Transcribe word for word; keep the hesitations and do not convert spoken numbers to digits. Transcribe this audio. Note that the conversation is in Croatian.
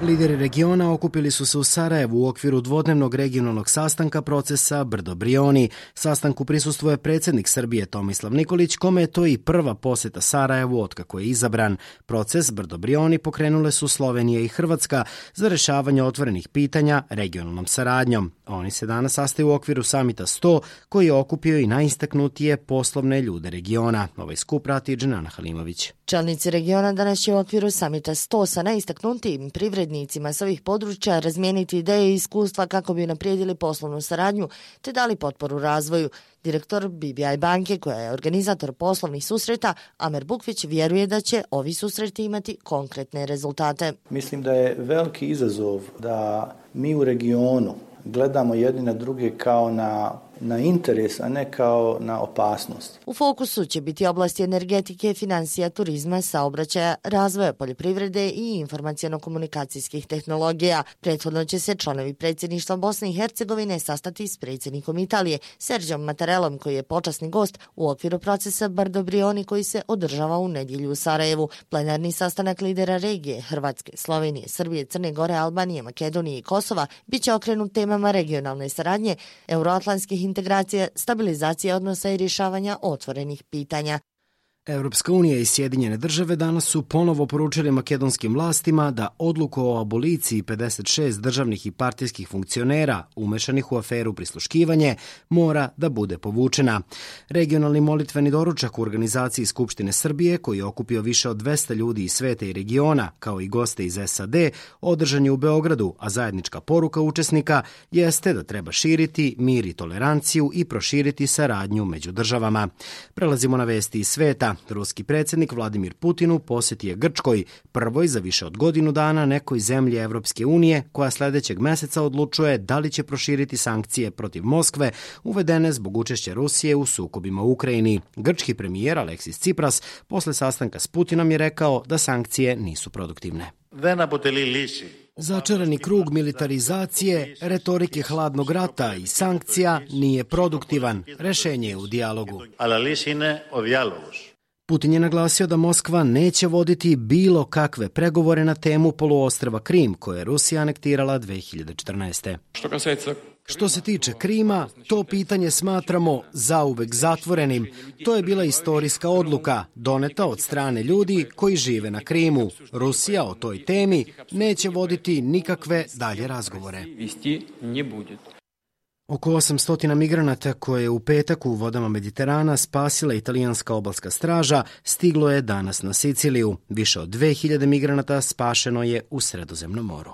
Lideri regiona okupili su se u Sarajevu u okviru dvodnevnog regionalnog sastanka procesa Brdo-Brioni. Sastanku prisustvuje predsjednik Srbije Tomislav Nikolić, kome je to i prva posjeta Sarajevu otkako je izabran. Proces Brdo-Brioni pokrenule su Slovenija i Hrvatska za rješavanje otvorenih pitanja regionalnom saradnjom. Oni se danas sastaju u okviru samita sto, koji je okupio i najistaknutije poslovne ljude regiona. Ovaj skup prati Dženana Halimović. Čelnici regiona danas će u okviru samita sto sa najistaknutijim privrednicima s ovih područja razmijeniti ideje i iskustva kako bi unaprijedili poslovnu saradnju te dali potporu razvoju. Direktor B B I banke, koja je organizator poslovnih susreta, Amer Bukvić, vjeruje da će ovi susreti imati konkretne rezultate. Mislim da je veliki izazov da mi u regionu gledamo jedni na druge kao na, na interes, a ne kao na opasnost. U fokusu će biti oblasti energetike, financija, turizma, saobraćaja, razvoja poljoprivrede i informaciono-komunikacijskih tehnologija. Prethodno će se članovi predsjedništva Bosne i Hercegovine sastati s predsjednikom Italije, Serđom Mattarellom, koji je počasni gost u okviru procesa Brdo-Brioni koji se održava u nedjelju u Sarajevu. Plenarni sastanak lidera regije Hrvatske, Slovenije, Srbije, Crne Gore, Albanije, Makedonije i Kosova bit će okrenut temama regionalne saradnje, euroatlantskih integracija, stabilizacije odnosa i rješavanja otvorenih pitanja. Europska unija i Sjedinjene države danas su ponovo poručili makedonskim vlastima da odluku o aboliciji pedeset šest državnih i partijskih funkcionera umešanih u aferu prisluškivanje mora da bude povučena. Regionalni molitveni doručak u organizaciji Skupštine Srbije, koji je okupio više od dvesta ljudi iz sveta i regiona, kao i goste iz S A D, održan je u Beogradu, a zajednička poruka učesnika jeste da treba širiti mir i toleranciju i proširiti saradnju među državama. Prelazimo na vesti iz sveta. Ruski predsjednik Vladimir Putin u posjeti je Grčkoj, prvoj za više od godinu dana nekoj zemlji Evropske unije, koja sljedećeg mjeseca odlučuje da li će proširiti sankcije protiv Moskve uvedene zbog učešća Rusije u sukobima u Ukrajini. Grčki premijer Aleksis Tsipras posle sastanka s Putinom je rekao da sankcije nisu produktivne. Začarani krug militarizacije, retorike hladnog rata i sankcija nije produktivan. Rešenje je u dijalogu. Putin je naglasio da Moskva neće voditi bilo kakve pregovore na temu poluostrva Krim, koje je Rusija anektirala dve hiljade četrnaeste. Što se tiče Krima, to pitanje smatramo zauvek zatvorenim. To je bila istorijska odluka, doneta od strane ljudi koji žive na Krimu. Rusija o toj temi neće voditi nikakve dalje razgovore. Oko osamsto migranata koje je u petak u vodama Mediterana spasila italijanska obalska straža stiglo je danas na Siciliju. Više od dve hiljade migranata spašeno je u Sredozemnom moru.